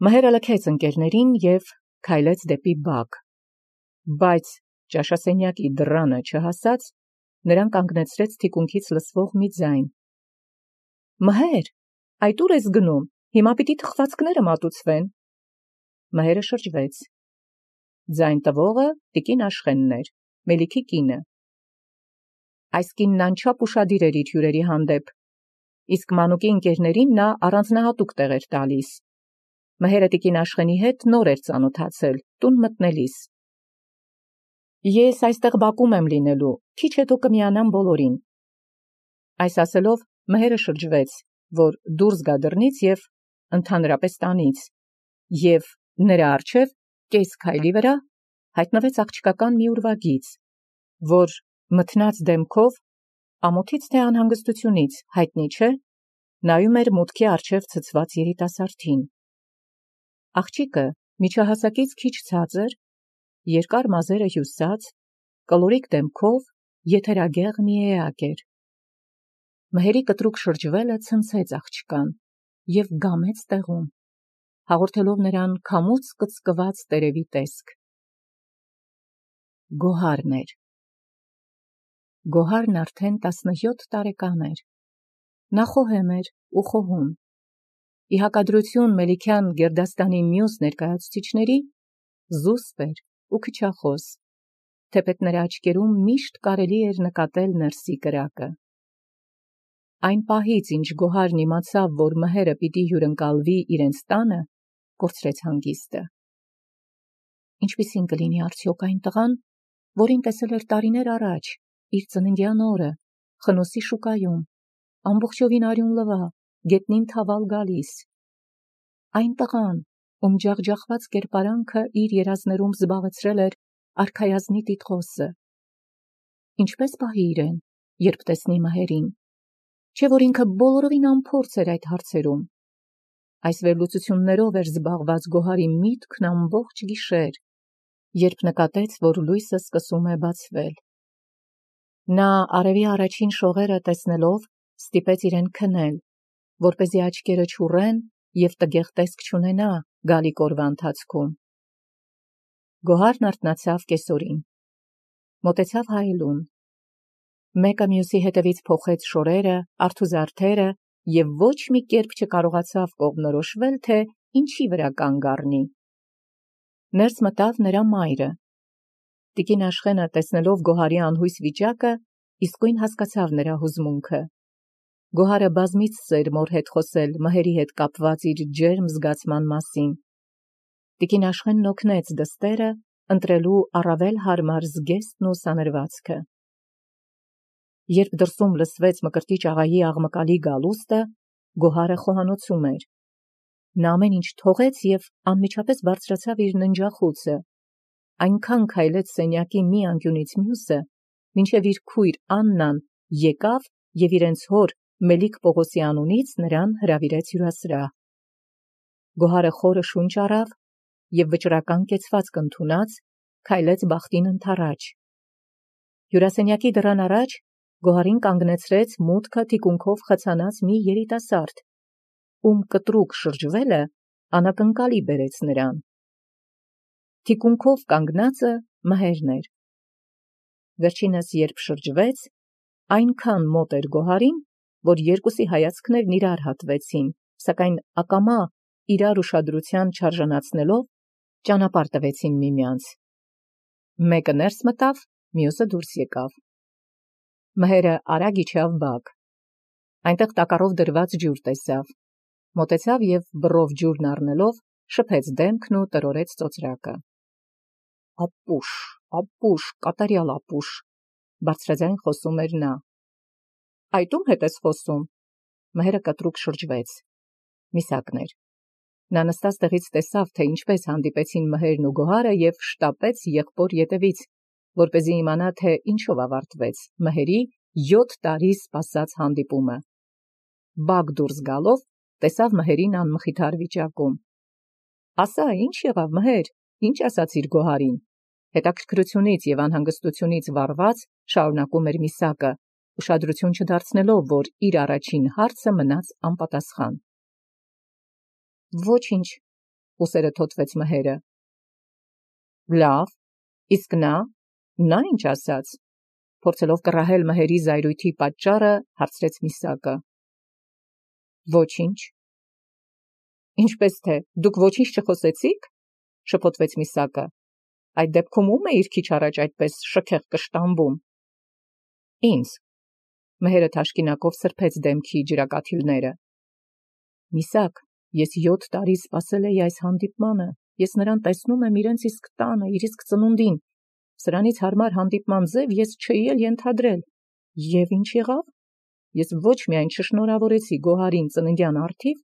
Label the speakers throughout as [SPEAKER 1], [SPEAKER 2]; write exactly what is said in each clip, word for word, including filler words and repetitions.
[SPEAKER 1] Մհերը լքեց ընկերներին և քայլեց դեպի բակ, բայց ճաշասենյակի դռանը չհասած, նրան կանգնեցրեց թիկունքից լսվող մի ձայն. «Մհեր, այդ ուր ես գնում, հիմա պիտի թխվածքները մատուցվեն»։ Մհերը շրջվեց. ձայն տվողը տիկին Աշխենն էր, Մելիքի կինը։ Այս կինն անչափ ուշադիր էր իր հյուրերի հանդեպ, իսկ մանուկի ընկերներին նա առանձնահատուկ տեղ էր տալիս։ Մհերը տիկին Աշխենի հետ նոր էր ծանոթացել, տուն մտնելիս։ «Ես այստեղ բակում եմ լինելու, քիչ հետո կմիանամ բոլորին»։ Այս ասելով մհերը շրջվեց, որ դուրս գա դռնից և ընդհանրապես տանից, և նրա առջև կես քայլի վրա հայտնվեց աղջկական մի ուրվագիծ, որ մթնած դեմքով, ամոթից թե անհանգստությունից հայտնի չէ, նայում էր մուտքի առջև ցցված երիտասարդին։ Աղջիկը միջահասակից քիչ ցածր, երկար մազերը հյուսած, կլորիկ դեմքով, եթերագեղ մի էակ էր։ Մհերի կտրուկ շրջվելը ցնցեց աղջկան և գամեց տեղում, հաղորդելով նրան քամուց կծկված տերևի տեսք։ Գոհարն էր։ Գոհարն արդեն տասնյոթ տարեկան էր։ Նա խոհեմ էր ու խոհում։ Ի հակադրություն Մելիքյան գերդաստանի մյուս ներկայացուցիչների, զուսպ էր ու քչախոս, թեպետ նրա աչքերում միշտ կարելի էր նկատել ներսի կրակը։ Այն պահից, ինչ Գոհարն իմացավ, որ մհերը պիտի հյուրընկալվի իրենց տանը, կորցրեց հանգիստը։ Ինչպիսին կլինի արդյոք այն տղան, որին տեսել էր տարիներ առաջ, իր ծննդյան օրը, Խնոսի շուկայում, ամբողջովին արյուն լվա, գետնին թավալ գալիս։ Այն տղան, ում ջախջախված կերպարանքը իր երազներում զբաղեցրել էր արքայազնի տիտղոսը։ Ինչպես պահի իրեն, երբ տեսնի մհերին, չէ՞ որ ինքը բոլորովին անփորձ էր այդ հարցերում։ Այս վերլուծություններով էր զբաղված Գոհարի միտքն ամբողջ գիշեր, երբ նկատեց, որ լույսը սկսում է բացվել։ Նա արևի առաջին շողերը տեսնելով ստիպեց իրեն քնել, որպեսզի աչքերը չուռեն և տգեղ տեսք չունենա գալիք օրվա ընթացքում։ Գոհարն արթնացավ կեսօրին, մոտեցավ հայելուն, մեկը մյուսի հետևից փոխեց շորերը, արթուզարդերը և ոչ մի կերպ չկարողացավ կողմնորոշվել, թե ինչի վրա կանգ առնի։ Ներս մտավ նրա մայրը։ Տիկին Աշխենը, տեսնելով Գոհարի անհույս վիճակը, իսկույն հասկացավ նրա հուզմունքը։ Գոհարը բազմիցս էր մոր հետ խոսել մհերի հետ կապված իր ջերմ զգացման մասին։ Տիկին Աշխենն օգնեց դստերը ընտրելու առավել հարմար զգեստն ու սանրվածքը։ Երբ դրսում լսվեց Մկրտիչ աղայի աղմկալի գալուստը, Գոհարը խոհանոցում էր։ Նա ամեն ինչ թողեց և անմիջապես բարձրացավ իր ննջախուցը, այնքան քայլեց սենյակի մի անկյունից մյուսը, մինչև իր քույր Աննան եկավ և իրենց հոր Մելիք Պողոսի անունից նրան հրավիրեց հյուրասրահ։ Գոհարը խորը շունչ առավ և վճռական կեցվածք ընդունած, քայլեց բախտին ընդառաջ։ Հյուրասենյակի դռան առաջ Գոհարին կանգնեցրեց մուտքը թիկունքով խցանած մի երիտասարդ, ում կտրուկ շրջվելը անակնկալի բերեց նրան։ Թիկունքով կանգնածը մհերն էր։ Վերջինս երբ շրջվեց, այնքան մոտ էր Գոհարին, որ երկուսի հայացքներն իրար հատվեցին, սակայն ակամա իրար ուշադրության չարժանացնելով, ճանապարհ տվեցին միմյանց։ Մեկը ներս մտավ, մյուսը դուրս եկավ։ Մհերը արագ իջավ բակ։ Այնտեղ տակառով դրված ջուր տեսավ, մոտեցավ և բռով ջուրն առնելով շփեց դեմքն ու տրորեց ծոծրակը։ «Ապուշ, ապուշ, կատարյալ ապուշ», բարձրաձայն խոսում էր նա։ «Այդ ում հետ ես խոսում»։ Մհերը կտրուկ շրջվեց։ Միսակն էր։ Նա նստած տեղից տեսավ, թե ինչպես հանդիպեցին մհերն ու Գոհարը և շտապեց եղբոր ետևից, որպեսզի իմանա, թե ինչով ավարտվեց մհերի յոթ տարի սպասած հանդիպումը։ Բակ դուրս գալով տեսավ մհերին անմխիթար վիճակում։ «Ասա, ի՞նչ եղավ, մհեր, ի՞նչ ասացիր Գոհարին»։ Հետաքրքրությունից և անհանգստությունից վառված շարունակում էր Միսակը, ուշադրություն չդարձնելով, որ իր առաջին հարցը մնաց անպատասխան։ «Ոչինչ, ուսերը թոթվեց մհերը։ Լավ, իսկ նա, նա ինչ ասաց, փորձելով կռահել մհերի զայրույթի պատճառը, հարցրեց Միսակը։ Ոչինչ։ Ինչպես թե, դուք ոչինչ չխոսեցիք, շփոթվեց Միսակը։ Այդ դեպքում ում էիր քիչ առաջ այդպես շքեղ կշտամբում։ Ինձ։ Մհերը թաշկինակով սրբեց դեմքի ջրակաթիլները։ Միսակ, ես յոթ տարի սպասել էի այս հանդիպմանը, ես նրան տեսնում եմ իրենց իսկ տանը, իր իսկ ծնունդին, սրանից հարմար հանդիպման ձև ես չէի էլ ենթադրել, և ինչ եղավ, ես ոչ միայն չշնորհավորեցի Գոհարին ծննդյան առթիվ,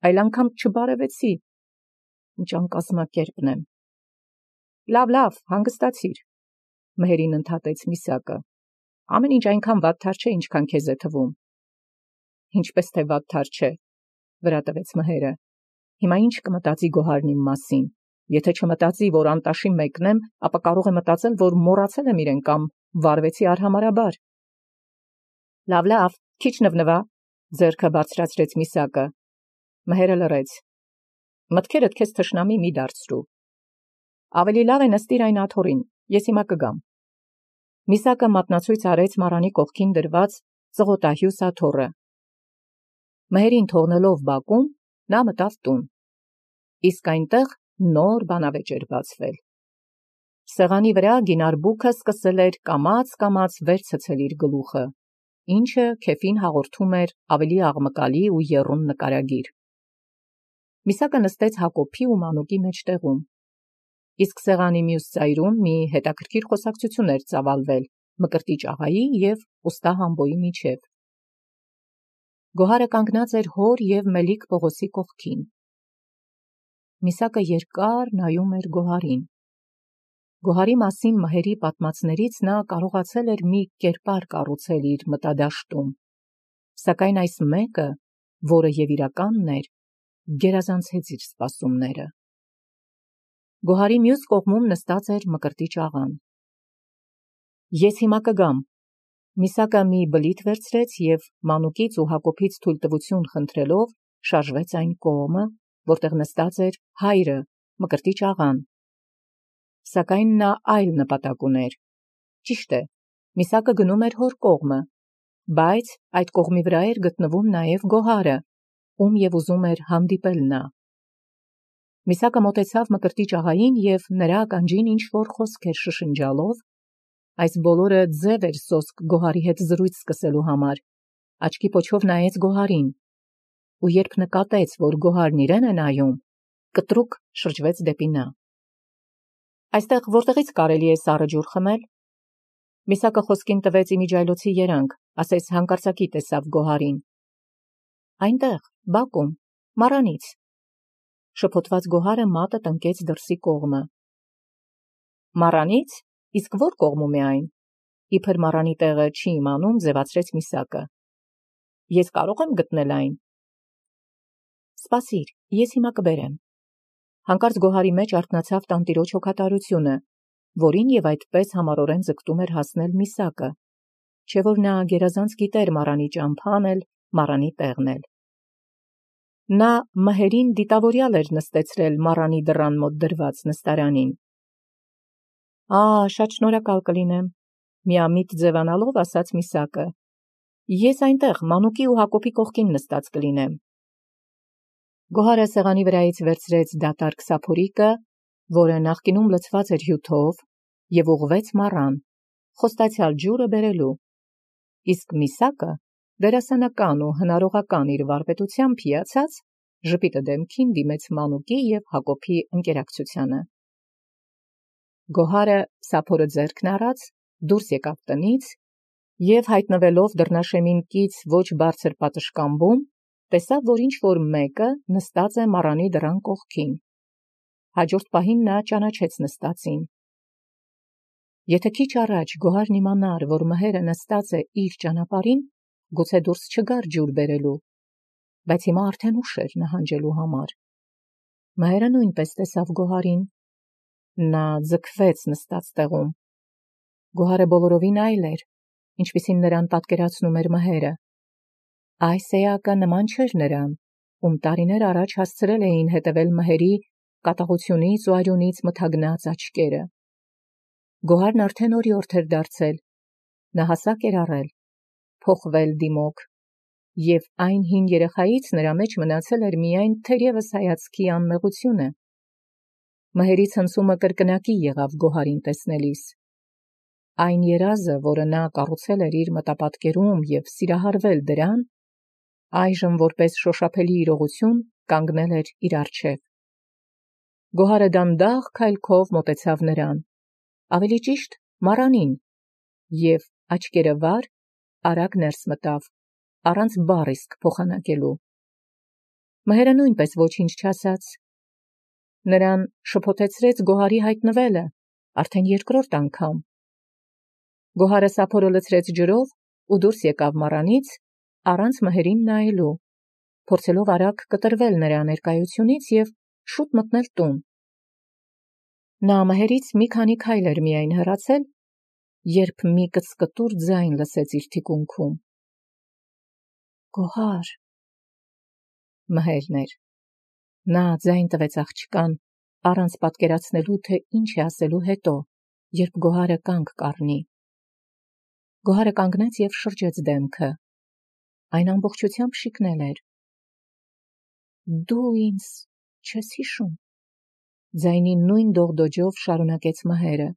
[SPEAKER 1] այլ անգամ չբարևեցի, ինչ անկազմակերպն եմ։ Լավ, լավ, հանգստացիր, մհերին ընդհատեց Միսակը, ամեն ինչ այնքան վատթար չէ, ինչքան քեզ է թվում։ Ինչպես թե վատթար չէ, վրա տվեց մհերը, հիմա ինչ կմտածի Գոհարն իմ մասին, եթե չմտածի, որ անտաշի մեկն եմ, ապա կարող է մտածել, որ մոռացել եմ իրեն կամ վարվեցի արհամարհաբար։ Լավ, լավ, քիչ նվնվա, ձեռքը բարձրացրեց Միսակը։ Մհերը լռեց։ Մտքերդ քեզ թշնամի մի դարձրու։ Ավելի լավ է նստիր այն աթոռին, ես հիմա կգամ։ Միսակը մատնացույց արեց մառանի կողքին դրված ծղոտահյուս աթոռը։ Մհերին թողնելով բակում, նա մտավ տուն։ Իսկ այնտեղ նոր բանավեճ էր բացվել։ Սեղանի վրա գինարբուքը սկսել էր կամաց-կամաց վեր ցցել իր գլուխը, ինչը քեֆին հաղորդում էր ավելի աղմկալի ու եռուն նկարագիր։ Միսակը նստեց Հակոբի ու Մանուկի մեջտեղում, իսկ սեղանի մյուս ծայրում մի հետաքրքիր խոսակցություն էր ծավալվել Մկրտիչ աղայի և ուստա Համբոյի միջև։ Գոհարը կանգնած էր հոր և Մելիք Պողոսի կողքին։ Միսակը երկար նայում էր Գոհարին։ Գոհարի մասին մհերի պատմածներից նա կարողացել էր մի կերպար կառուցել իր մտադաշտում, սակայն այս մեկը, որը և իրականն էր, գերազանցեց իր սպասումները։ Գոհարի մյուս կողմում նստած էր Մկրտիչ աղան։ Ես հիմա կգամ։ Միսակը մի բլիթ վերցրեց և Մանուկից ու Հակոբից թույլտվություն խնդրելով շարժվեց այն կողմը, որտեղ նստած էր հայրը, Մկրտիչ աղան։ Սակայն նա այլ նպատակ ուներ։ Ճիշտ է, Միսակը գնում էր հոր կողմը, բայց այդ կողմի վրա էր գտնվում նաև Գոհարը, ում և ուզում էր հանդիպել նա։ Միսակը մոտեցավ Մկրտիչ աղային և նրա ականջին ինչ-որ խոսք էր շշնջալով, այս բոլորը ձև էր սոսկ Գոհարի հետ զրույց սկսելու համար, աչքի պոչով նայեց Գոհարին, ու երբ նկատեց, որ Գոհարն իրեն է նայում, կտրուկ շրջվեց դեպի նա։ Այստեղ որտեղից կարելի է սառը ջուր խմել։ Միսակը խոսքին տվեց իմիջիայլոցի երանգ, ասես հանկարծակի տեսավ Գոհարին։ Այնտեղ, բակում, մառանից։ Շփոթված Գոհարը մատը տնկեց դրսի կողմը։ Մառանից, իսկ որ կողմում է այն։ Իբր մառանի տեղը չի իմանում, ձևացրեց Միսակը։ Ես կարող եմ գտնել այն։ Սպասիր, ես հիմա կբերեմ։ Հանկարծ Գոհարի մեջ արթնացավ տանտիրոջ հոգատարությունը, որին և այդպես համառորեն ձգտում էր հասնել Միսակը, չէ որ նա գերազանց գիտեր մառանի ճամփան էլ, մառանի տեղն էլ։ Նա մհերին դիտավորյալ էր նստեցրել մառանի դռան մոտ դրված նստարանին։ Ա, շատ շնորհակալ կլինեմ, միամիտ ձևանալով ասաց Միսակը։ Ես այնտեղ Մանուկի ու Հակոբի կողքին նստած կլինեմ։ Գոհարը սեղանի վրայից վերցրեց դատարկ սափորիկը, որը նախկինում լցված էր հյութով, և ուղղվեց մառան, խոստացյալ ջուրը բերելու, իսկ Միսակը դերասանական ու հնարողական իր վարպետությամբ հիացած, ժպիտը դեմքին դիմեց Մանուկի և Հակոբի ընկերակցությանը։ Գոհարը սափորը ձեռքն առած դուրս եկավ տնից և հայտնվելով դռնաշեմին կից ոչ բարձր պատշգամբում, տեսավ, որ ինչ-որ մեկը նստած է մառանի դռան կողքին։ Հաջորդ պահին նա ճանաչեց նստածին։ Եթե քիչ առաջ Գոհարն իմանար, որ մհերը նստած է իր ճանապարհին, գուցե դուրս չգար ջուր բերելու, բայց հիմա արդեն ուշ էր նահանջելու համար։ Մհերը նույնպես տեսավ Գոհարին։ Նա ձգվեց նստած տեղում։ Գոհարը բոլորովին այլ էր, ինչպիսին նրան պատկերացնում էր մհերը։ Այս էակը նման չէր նրան, ում տարիներ առաջ հասցրել էին հետևել մհերի կատաղությունից ու արյունից մթագնած աչքերը։ Գոհարն արդեն օրիորդ էր դարձել, նա հասակ էր առել, փոխվել դիմոք, և այն հին երեխայից նրա մեջ մնացել էր միայն թերևս հայացքի անմեղությունը։ Մհերի ցնցումը կրկնակի եղավ Գոհարին տեսնելիս։ Այն երազը, որը նա կառուցել էր իր մտապատկերում և սիրահարվել դրան, այժմ որպես շոշափելի իրողություն կանգնել էր իր առջև։ Գոհարը դանդաղ քայլքով մոտեցավ նրան, ավելի ճիշտ մառանին, և աչքերը վար արագ ներս մտավ, առանց բառ իսկ փոխանակելու։ Մհերը նույնպես ոչինչ չասաց։ Նրան շփոթեցրեց Գոհարի հայտնվելը, արդեն երկրորդ անգամ։ Գոհարը սափորը լցրեց ջրով ու դուրս եկավ մառանից, առանց մհերին նայելու, փորձելով արագ կտրվել նրա ներկայությունից և շուտ մտնել տուն։ Նա մհերից մի քանի քայլ էր միայն հեռացել, երբ մի կծկտուր ձայն լսեց իր թիկունքում։ Գոհար… Մհերն էր։ Նա ձայն տվեց աղջկան, առանց պատկերացնելու, թե ինչ է ասելու հետո, երբ Գոհարը կանգ կառնի։ Գոհարը կանգնեց և շրջեց դեմքը։ Այն ամբողջությամբ շիկնել էր։ Դու ինձ չես հիշում, ձայնի նույն դողդոջով շարունակեց մհերը,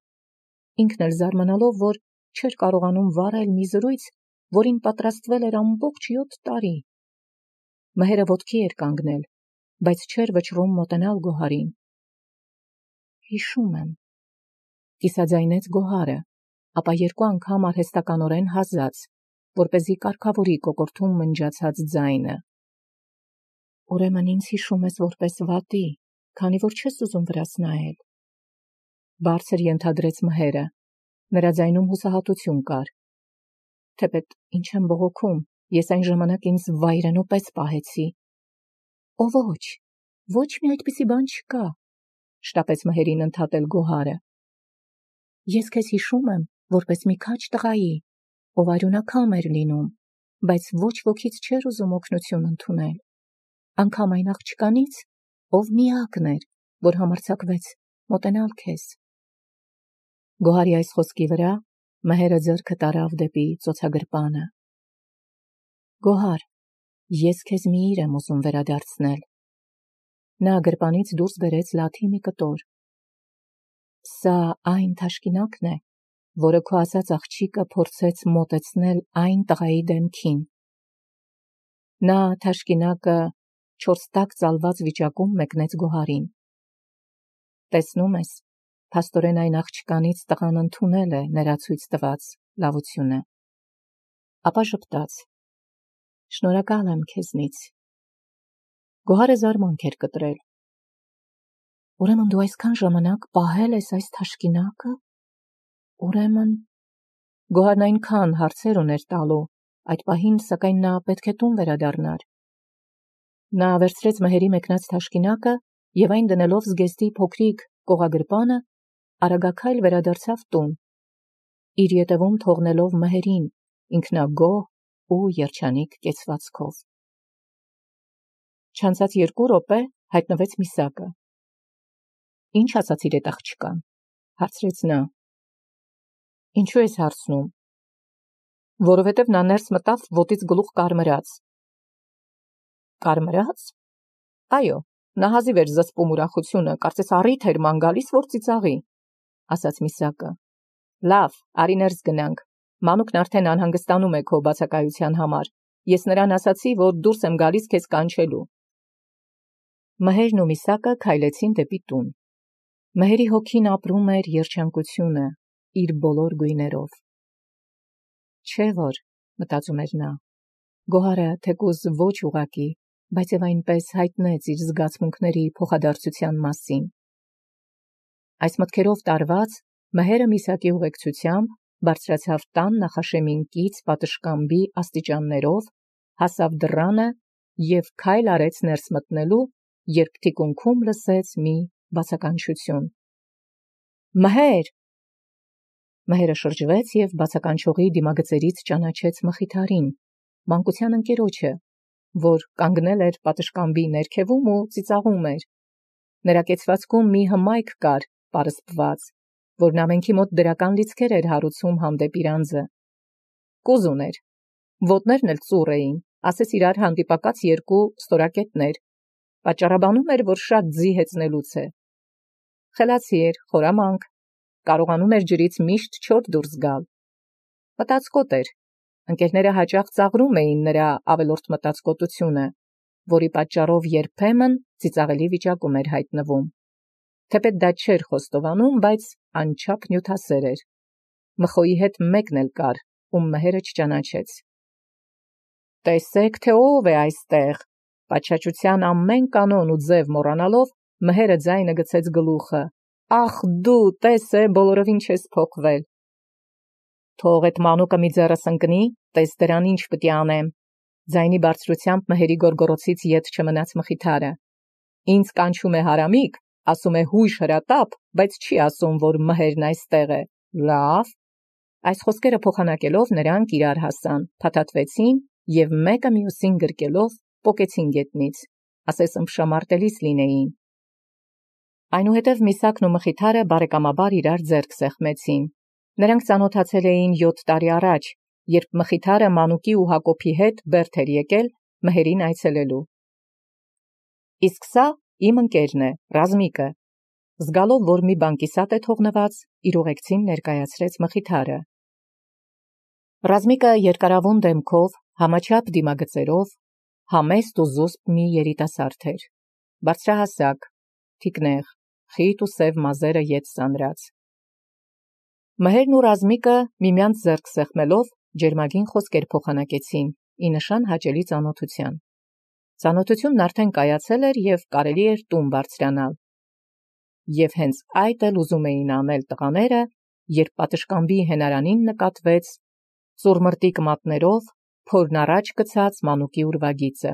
[SPEAKER 1] ինքն էլ զարմանալով, որ չէր կարողանում վարել մի զրույց, որին պատրաստվել էր ամբողջ յոթ տարի։ Մհերը ոտքի էր կանգնել, բայց չէր վճռում մոտենալ Գոհարին։ Հիշում եմ, կիսաձայնեց Գոհարը, ապա երկու անգամ արհեստականորեն հազաց, որպեսզի կարգավորի կոկորդում մնջացած ձայնը։ Ուրեմն ինձ հիշում ես որպես վատի, քանի որ չես ուզում վրաս նայել։ Բարձր ենթադրեց մհերը, նրա ձայնում հուսահատություն կար։ Թեպետ ինչ եմ բողոքում, ես այն ժամանակ ինձ վայրենու պես պահեցի։ Օ ոչ, ոչ մի այդպիսի բան չկա, շտապեց մհերին ընդհատել Գոհարը։ Ես քեզ հիշում եմ որպես մի քաջ տղայի, ով արյունակամ էր լինում, բայց ոչ ոքից չէր ուզում օգնություն ընդունել, անգամ այն աղջկանից, ով միակն էր, որ համարձակվեց մոտենալ քեզ։ Գոհարի այս խոսքի վրա մհերը ձեռքը տարավ դեպի ծոցագրպանը։ Գոհար, ես քեզ մի իր եմ ուզում վերադարձնել։ Նա գրպանից դուրս բերեց լաթի մի կտոր։ Սա այն թաշկինակն է, որը քո ասած աղջիկը փորձեց մոտեցնել այն տղայի դեմքին։ Նա թաշկինակը չորս տակ ծալված վիճակում մեկնեց Գոհարին։ Տեսնում ես, փաստորեն այն աղջկանից տղան ընդունել է նրա ցույց տված լավությունը։ Ապա ժպտաց. Շնորհակալ եմ քեզնից։ Գոհարը զարմանք էր կտրել։ Ուրեմն դու այսքան ժամանակ պահել ես այս թաշկինակը։ Ուրեմն… Գոհարն այնքան հարցեր ուներ տալու, այդ պահին սակայն նա պետք է տուն վերադառնար։ Նա վերցրեց մհերի մեկնած թաշկինակը և այն դնելով զգեստի փոքրիկ կողագրպանը, արագաքայլ վերադարձավ տուն, իր ետևում թողնելով մհերին, ինքնագոհ ու երջանիկ կեցվածքով։ Չանցած երկու րոպե հայտնվեց Միսակը։ Ինչ ասացիր էդ աղջկան, հարցրեց նա։ Ինչու ես հարցնում։ Որովհետև նա ներս մտավ ոտից գլուխ կարմրած։ Կարմրած։ Այո, նա հազիվ էր զսպում ուրախությունը, կարծես առիթ էր ման գալիս, որ ծիծաղի, ասաց Միսակը։ Լավ, արի ներս գնանք, մանուկն արդեն անհանգստանում է քո բացակայության համար, ես նրան ասացի, որ դուրս եմ գալիս քեզ կանչելու։ Մհերն ու Միսակը քայլեցին դեպի տուն։ Մհերի հոգին ապրում էր երջանկությունը իր բոլոր գույներով։ Չէ որ, մտածում էր նա, Գոհարը թեկուզ ոչ ուղղակի, բայց և այնպես հայտնեց իր զգացմունքների փոխադարձության մասին։ Այս մտքերով տարված, մհերը Միսակի ուղեկցությամբ բարձրացավ տան նախաշեմին կից պատշգամբի աստիճաններով, հասավ դռանը և քայլ արեց ներս մտնելու, երբ թիկունքում լսեց մի բացականչություն. Մհեր… Մհերը շրջվեց և բացականչողի դիմագծերից ճանաչեց Մխիթարին, մանկության ընկերոջը, որ կանգնել էր պատշգամբի ներքևում ու ծիծաղում էր։ Նրա կեցվածքում մի հմայք կար, պարսպված, որն ամենքի մոտ դրական լիցքեր էր հարուցում հանդեպ իր անձը։ Կուզ ուներ, ոտներն էլ ծուռ էին, ասես իրար հանդիպակաց երկու ստորակետներ, պատճառաբանում էր, որ շատ ձի հեծնելուց է։ Խելացի էր, խորամանկ, կարողանում էր ջրից միշտ չոր դուրս գալ։ Մտածկոտ էր, ընկերները հաճախ ծաղրում էին նրա ավելորդ մտածկոտությունը, որի պատճառով երբեմն ծիծաղելի վիճակում էր հայտնվում։ Թեպետ դա չէր խոստովանում, բայց անչափ նյութասեր էր։ Մխոյի հետ մեկն էլ կար, ում մհերը չճանաչեց։ Տեսեք, թե ով է այստեղ, պատշաճության ամեն կանոն ու ձև մոռանալով, մհերը ձայնը գցեց գլուխը։ Ախ դու, տես է, բոլորովին չես փոխվել։ Թող այդ մանուկը մի ձեռս ընկնի, տես դրան ինչ պիտի անեմ։ Ձայնի բարձրությամբ մհերի գորգորոցից ետ չմնաց մխիթարը։ Ինձ կանչում է հարամիկ, ասում է հույժ հրատապ, բայց չի ասում, որ մհերն այստեղ է։ Լավ։ Այս խոսքերը փոխանակելով նրանք իրար հասան, փաթաթվեցին և մեկը մյուսին գրկելով պոկեցին գետնից, ասես ըմբշամարտելիս լինեին։ Այնուհետև Միսակն ու Մխիթարը բարեկամաբար իրար ձեռք սեղմեցին։ Նրանք ծանոթացել էին յոթ տարի առաջ, երբ Մխիթարը Մանուկի ու Հակոբի հետ Բերդ էր եկել մհերին այցելելու։ Իսկ սա իմ ընկերն է, Ռազմիկը, զգալով, որ մի բան կիսատ է թողնված, իր ուղեկցին ներկայացրեց Մխիթարը։ Ռազմիկը երկարավուն դեմքով, համաչափ դիմագծերով, համեստ ու զուսպ մի երիտասարդ էր, բարձրահասակ, թիկնեղ, խիտ ու սև մազերը ետ սանրած։ Մհերն ու Ռազմիկը միմյանց ձեռք սեղմելով ջերմագին խոսքեր փոխանակեցին, ի նշան հաճելի ծանոթության։ Ծանոթությունն արդեն կայացել էր և կարելի էր տուն բարձրանալ։ Եվ հենց այդ էլ ուզում էին անել տղաները, երբ պատշգամբի հենարանին նկատվեց ծուռմռտիկ մատներով փորն առաջ գցած Մանուկի ուրվագիծը։